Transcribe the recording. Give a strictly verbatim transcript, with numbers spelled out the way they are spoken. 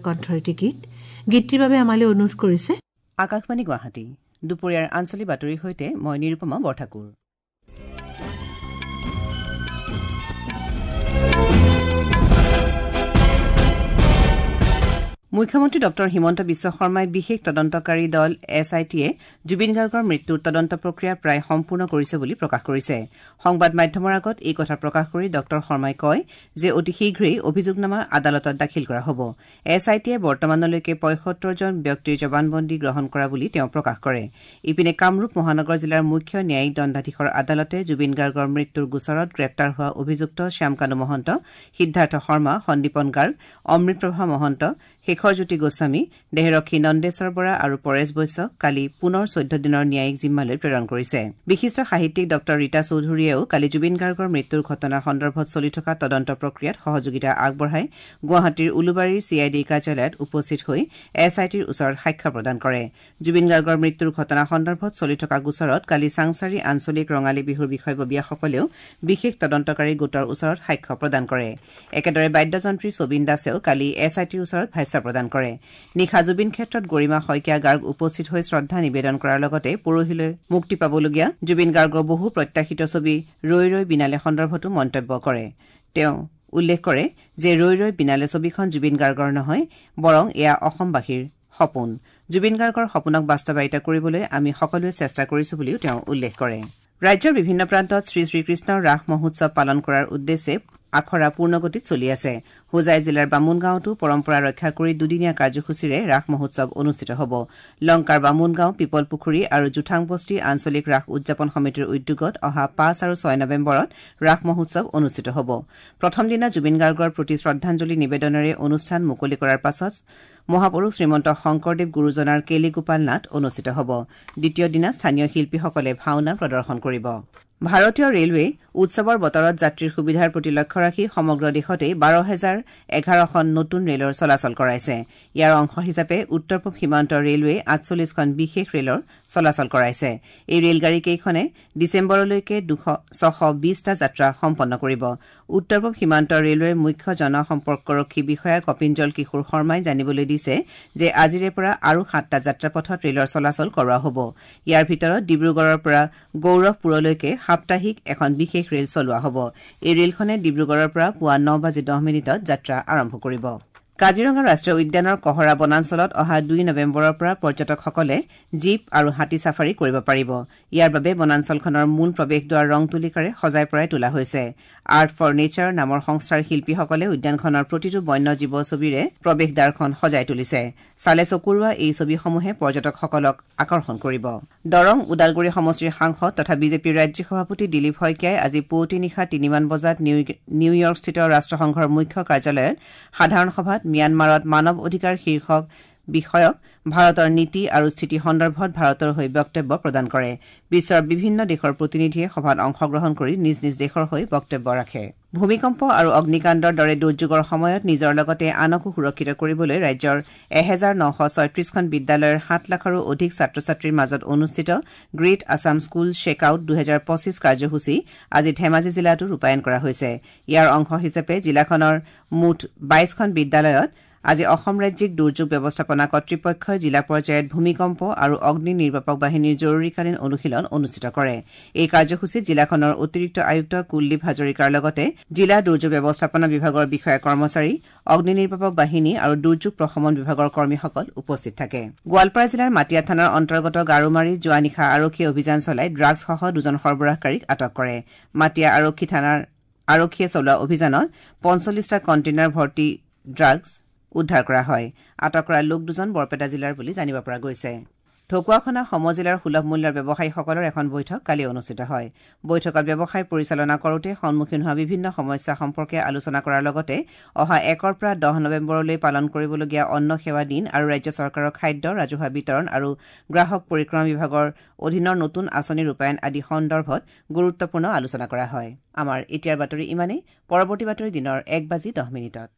কণ্ঠৰ এটি গীত। গীতটিৰ বাবে আমালৈ অনুৰোধ কৰিছে আকাশবাণী গুৱাহাটী। দুপৰীয়াৰ আঞ্চলিক বাতৰিৰ সৈতে মই নিৰুপমা বৰঠাকুৰ। মুখ্যমন্ত্ৰী ডক্টৰ হিমন্ত বিশ্ব শৰ্মাই বিশেষ তদন্তকাৰী দল এছ I টিয়ে জুবিন গাৰ্গৰ মৃত্যুৰ তদন্ত প্ৰক্ৰিয়া প্ৰায় সম্পূৰ্ণ কৰিছে বুলি প্ৰকাশ কৰিছে। সংবাদ মাধ্যমৰ আগত এই কথা প্ৰকাশ কৰি ডক্টৰ শৰ্মাই কয় যে অতি শীঘ্ৰেই অভিযোগনামা আদালতত দাখিল কৰা হ'ব। এছ I টিয়ে বৰ্তমানলৈকে পঁয়সত্তৰজন ব্যক্তিৰ জবানবন্দী গ্ৰহণ কৰা বুলি তেওঁ প্ৰকাশ কৰে। ইপিনে কামৰূপ মহানগৰ জিলাৰ মুখ্য ন্যায়িক দণ্ডাধীশৰ আদালতে জুবিন গাৰ্গৰ মৃত্যুৰ গোচৰত গ্ৰেপ্তাৰ হোৱা অভিযুক্ত শ্যামকানু মহন্ত, সিদ্ধাৰ্থ শৰ্মা, সন্দীপন গাৰ্গ, অমৃতপ্ৰভা মহন্ত, শেখৰজ্যোতি গোস্বামী, দেহৰক্ষী নন্দেশ্বৰ বৰা আৰু পৰেশ বৈশ্যক কালি পুনৰ চৈধ্য দিনৰ ন্যায়িক জিম্মালৈ প্ৰেৰণ কৰিছে। বিশিষ্ট সাহিত্যিক ডক্টৰ ৰীতা চৌধুৰীয়েও কালি জুবিন গাৰ্গৰ মৃত্যুৰ ঘটনাৰ সন্দৰ্ভত চলি থকা তদন্ত প্ৰক্ৰিয়াত সহযোগিতা আগবঢ়াই গুৱাহাটীৰ উলুবাৰীৰ চি I ডিৰ কাৰ্যালয়ত উপস্থিত হৈ এছ I টিৰ ওচৰত সাক্ষ্য প্ৰদান কৰে। জুবিন গাৰ্গৰ মৃত্যুৰ ঘটনা সন্দৰ্ভত চলি থকা গোচৰত কালি চাংসাৰি আঞ্চলিক ৰঙালী বিহুৰ বিষয়ববীয়াসকলেও বিশেষ তদন্তকাৰী গোটৰ ওচৰত সাক্ষ্য প্ৰদান কৰে। একেদৰে বাদ্যযন্ত্ৰী ছবিন দাসেও কালি এছ I টিৰ ওচৰত ভাষ্য প্ৰদান কৰে। নিশা জুবিন ক্ষেত্ৰত গৰিমা শইকীয়া গাৰ্গ উপস্থিত হৈ শ্ৰদ্ধা নিবেদন কৰাৰ লগতে পৰহিলৈ মুক্তি পাবলগীয়া জুবিন গাৰ্গৰ বহু প্ৰত্যাশিত ছবি ৰৈ ৰৈ বিনালে সন্দৰ্ভতো মন্তব্য কৰে। তেওঁ উল্লেখ কৰে যে ৰৈ ৰৈ বিনালে ছবিখন জুবিন গাৰ্গৰ নহয়, বৰং এয়া অসমবাসীৰ সপোন। জুবিন গাৰ্গৰ সপোনক বাস্তৱায়িত কৰিবলৈ আমি সকলোৱে চেষ্টা কৰিছো বুলিও তেওঁ উল্লেখ কৰে। ৰাজ্যৰ বিভিন্ন প্ৰান্তত শ্ৰী শ্ৰীকৃষ্ণৰ ৰাস মহোৎসৱ পালন কৰাৰ উদ্দেশ্যে আখৰা পূৰ্ণগতিত চলি আছে। হোজাই জিলাৰ বামুণগাঁৱতো পৰম্পৰা ৰক্ষা কৰি দুদিনীয়া কাৰ্যসূচীৰে ৰাস মহোৎসৱ অনুষ্ঠিত হ'ব। লংকাৰ বামুণগাঁও, পিপলপুখুৰী আৰু জোঠাংবস্তি আঞ্চলিক ৰাস উদযাপন সমিতিৰ উদ্যোগত অহা পাঁচ আৰু ছয় নৱেম্বৰত ৰাস মহোৎসৱ অনুষ্ঠিত হ'ব। প্ৰথম দিনা জুবিন গাৰ্গৰ প্ৰতি শ্ৰদ্ধাঞ্জলি নিবেদনেৰে অনুষ্ঠান মুকলি কৰাৰ পাছত মহাপুৰুষ শ্ৰীমন্ত শংকৰদেৱ গুৰুজনাৰ কেলিগোপাল নাট অনুষ্ঠিত হ'ব। দ্বিতীয় দিনা স্থানীয় শিল্পীসকলে ভাওনা প্ৰদৰ্শন কৰিব। ভাৰতীয় ৰেলৱে উৎসৱৰ বতৰত যাত্ৰীৰ সুবিধাৰ প্ৰতি লক্ষ্য ৰাখি সমগ্ৰ দেশতে বাৰ হেজাৰ এঘাৰখন নতুন ৰেলৰ চলাচল কৰাইছে। ইয়াৰ অংশ হিচাপে উত্তৰ পূব সীমান্ত ৰেলৱে আঠচল্লিছখন বিশেষ ৰেলৰ চলাচল কৰাইছে। এই ৰেলগাড়ীকেইখনে ডিচেম্বৰলৈকে ছশ বিছটা যাত্ৰা সম্পন্ন কৰিব। উত্তৰ পূব সীমান্ত ৰেলৱেৰ মুখ্য জনসম্পৰ্কৰক্ষী বিষয়া কপিঞ্জল কিশোৰ শৰ্মাই জানিবলৈ দিছে যে আজিৰে পৰা আৰু সাতটা যাত্ৰাপথত ৰেলৰ চলাচল কৰোৱা হ'ব। ইয়াৰ ভিতৰত ডিব্ৰুগড়ৰ পৰা গৌৰৱপুৰলৈকে সাপ্তাহিক এখন বিশেষ ৰেল চলোৱা হ'ব। এই ৰেলখনে ডিব্ৰুগড়ৰ পৰা পুৱা ন বাজি দহ মিনিটত যাত্ৰা আৰম্ভ কৰিব। কাজিৰঙা ৰাষ্ট্ৰীয় উদ্যানৰ কহৰা বনাঞ্চলত অহা দুই নৱেম্বৰৰ পৰা পৰ্যটকসকলে জীপ আৰু হাতী চাফাৰী কৰিব পাৰিব। ইয়াৰ বাবে বনাঞ্চলখনৰ মূল প্ৰৱেশদ্বাৰ ৰং তুলিকাৰে সজাই পৰাই তোলা হৈছে। আৰ্ট ফৰ নেচাৰ নামৰ সংস্থাৰ শিল্পীসকলে উদ্যানখনৰ প্ৰতিটো বন্য জীৱ ছবিৰে প্ৰৱেশদ্বাৰখন সজাই তুলিছে। চালে চকুৰোৱা এই ছবিসমূহে পৰ্যটকসকলক আকৰ্ষণ কৰিব। দৰং ওদালগুৰি সমষ্টিৰ সাংসদ তথা বিজেপিৰ ৰাজ্যিক সভাপতি দিলীপ শইকীয়াই আজি পুৱতি নিশা তিনিমান বজাত নিউয়ৰ্কস্থিত ৰাষ্ট্ৰসংঘৰ মুখ্য কাৰ্যালয়ত সাধাৰণ সভাত ম্যানমাৰত মানৱ অধিকাৰ শীৰ্ষক বিষয়ক ভাৰতৰ নীতি আৰু স্থিতি সন্দৰ্ভত ভাৰতৰ হৈ বক্তব্য প্ৰদান কৰে। বিশ্বৰ বিভিন্ন দেশৰ প্ৰতিনিধিয়ে সভাত অংশগ্ৰহণ কৰি নিজ নিজ দেশৰ হৈ বক্তব্য ৰাখে। ভূমিকম্প আৰু অগ্নিকাণ্ডৰ দৰে দুৰ্যোগৰ সময়ত নিজৰ লগতে আনকো সুৰক্ষিত কৰিবলৈ ৰাজ্যৰ এহেজাৰ নশ ছয়ত্ৰিছখন বিদ্যালয়ৰ সাত লাখৰো অধিক ছাত্ৰ ছাত্ৰীৰ মাজত অনুষ্ঠিত গ্ৰেট আছাম স্কুল শ্বেকআউট দুহেজাৰ পঁচিছ কাৰ্যসূচী আজি ধেমাজি জিলাতো ৰূপায়ণ কৰা হৈছে। ইয়াৰ অংশ হিচাপে জিলাখনৰ মুঠ বাইছখন বিদ্যালয়ত আজি অসম ৰাজ্যিক দুৰ্যোগ ব্যৱস্থাপনা কৰ্তৃপক্ষই জিলা পৰ্যায়ত ভূমিকম্প আৰু অগ্নি নিৰ্বাপক বাহিনীৰ জৰুৰীকালীন অনুশীলন অনুষ্ঠিত কৰে। এই কাৰ্যসূচীত জিলাখনৰ অতিৰিক্ত আয়ুক্ত কুলদীপ হাজৰিকাৰ লগতে জিলা দুৰ্যোগ ব্যৱস্থাপনা বিভাগৰ বিষয়া কৰ্মচাৰী, অগ্নি নিৰ্বাপক বাহিনী আৰু দুৰ্যোগ প্ৰশমন বিভাগৰ কৰ্মীসকল উপস্থিত থাকে। গোৱালপাৰা জিলাৰ মাটিয়া থানাৰ অন্তৰ্গত গাৰোমাৰীত যোৱা নিশা আৰক্ষীয়ে অভিযান চলাই ড্ৰাগছসহ দুজন সৰবৰাহকাৰীক আটক কৰে। মাটিয়া আৰক্ষী থানাৰ আৰক্ষীয়ে চলোৱা অভিযানত পঞ্চল্লিছটা কণ্টেইনাৰ ভৰ্তি ড্ৰাগছ উদ্ধাৰ কৰা হয়। আটক কৰা লোক দুজন বৰপেটা জিলাৰ বুলি জানিব পৰা গৈছে। ঢকুৱাখনা সমজিলাৰ সুলভ মূল্যৰ ব্যৱসায়ীসকলৰ এখন বৈঠক কালি অনুষ্ঠিত হয়। বৈঠকত ব্যৱসায় পৰিচালনা কৰোঁতে সন্মুখীন হোৱা বিভিন্ন সমস্যা সম্পৰ্কে আলোচনা কৰাৰ লগতে অহা একৰ পৰা দহ নৱেম্বৰলৈ পালন কৰিবলগীয়া অন্ন সেৱা দিন আৰু ৰাজ্য চৰকাৰৰ খাদ্য, ৰাজহুৱা বিতৰণ আৰু গ্ৰাহক পৰিক্ৰমা বিভাগৰ অধীনৰ নতুন আঁচনি ৰূপায়ণ আদি সন্দৰ্ভত গুৰুত্বপূৰ্ণ আলোচনা কৰা হয়। আমাৰ এতিয়াৰ বাতৰি ইমানেই। পৰৱৰ্তী বাতৰি দিনৰ এক বাজি দহ মিনিটত।